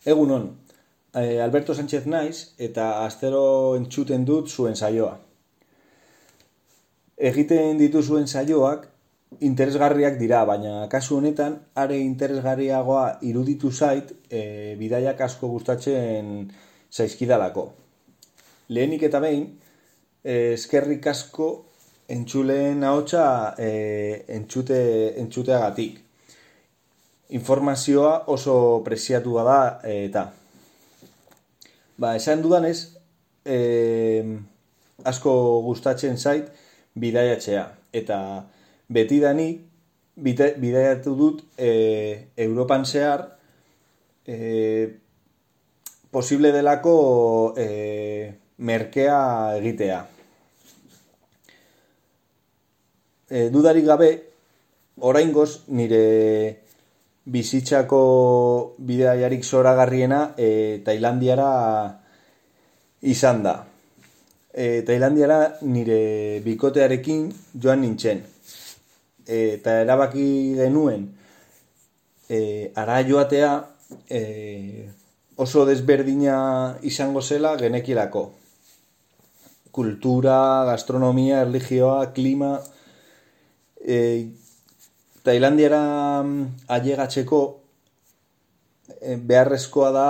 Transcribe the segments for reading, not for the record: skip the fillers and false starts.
Egunon, Alberto Sánchez naiz eta astero entzuten dut zuen saioa. Egiten dituzuen saioak interesgarriak dira, baina kasu honetan are interesgarriagoa iruditu zait bidaiak asko gustatzen zaizkidalako. Lehenik eta behin, eskerrik asko entzuleen ahotsa entzuteagatik. Informazioa oso preziatua da eta. Esan dudanez, asko gustatzen zait bidaiatzea. Eta betidanik bidaiatu dut Europan zehar posible delako merkea egitea. Dudarik gabe, oraingoz nire bizitzako bidaiarik zoragarriena Tailandiara izan da. Tailandiara nire bikotearekin joan nintzen. Eta erabaki genuen hara joatea oso desberdina izango zela genekielako. Kultura, gastronomia, erlijioa, klima... Tailandiara ailegatzeko beharrezkoa da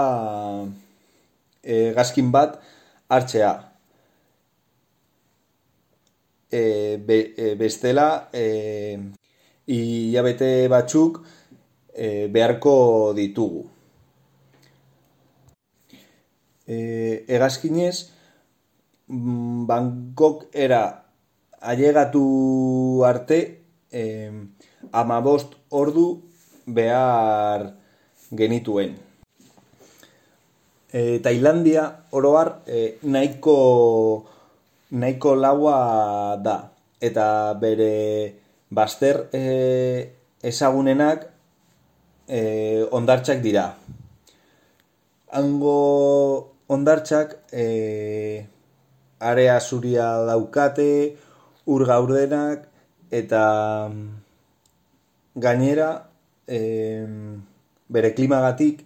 hegazkin bat hartzea. Bestela hilabete batzuk beharko ditugu. Hegazkinez Bangkokera ailegatu arte 15 ordu behar genituen. Tailandia oro har nahiko laua da eta bere bazter ezagunenak hondartzak dira. Hango hondartzak area zuria daukate, ur gaurdenak eta gainera bere klimagatik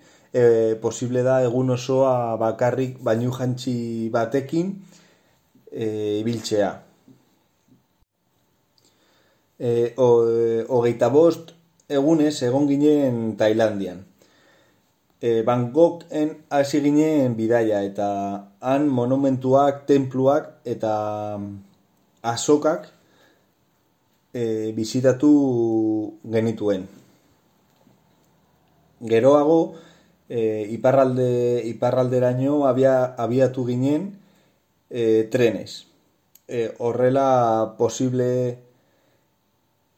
posible da egun osoa bakarrik bainujantzi batekin ibiltzea. 25 egunez egon ginen Tailandian. Bangkoken hasi ginen bidaia eta han monumentuak, tenpluak eta azokak bisitatu genituen. Geroago iparralderaino abiatu ginen trenez. Horrela posible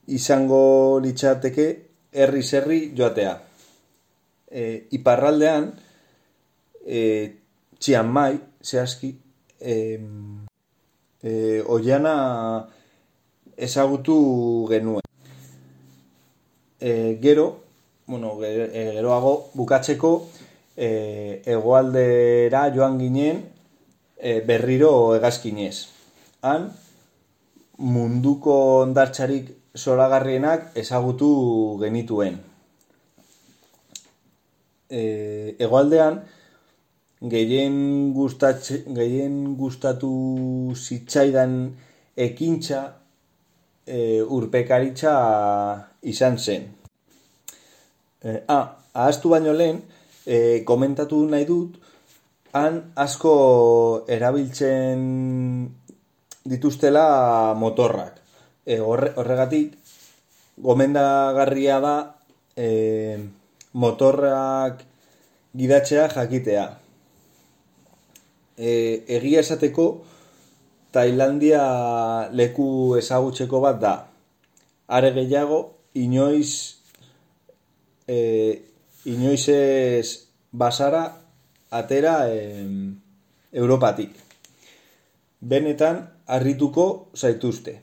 izango litzateke herriz herri joatea. Iparraldean Chiang Mai zehazki oiana ezagutu genuen. Geroago bukatzeko hegoaldera joan ginen berriro hegazkinez. Han munduko hondartzarik zoragarrienak ezagutu genituen. Hegoaldean gehien gustatu zitzaidan ekintza urpekaritza izan zen. Ahaztu baino lehen, komentatu nahi dut, han asko erabiltzen dituztela motorrak. Horregatik, gomendagarria da motorrak gidatzea jakitea. Egia esateko, Tailandia leku ezagutzeko bat da. Are gehiago, inoiz ez bazara atera Europatik. Benetan harrituko zaituzte.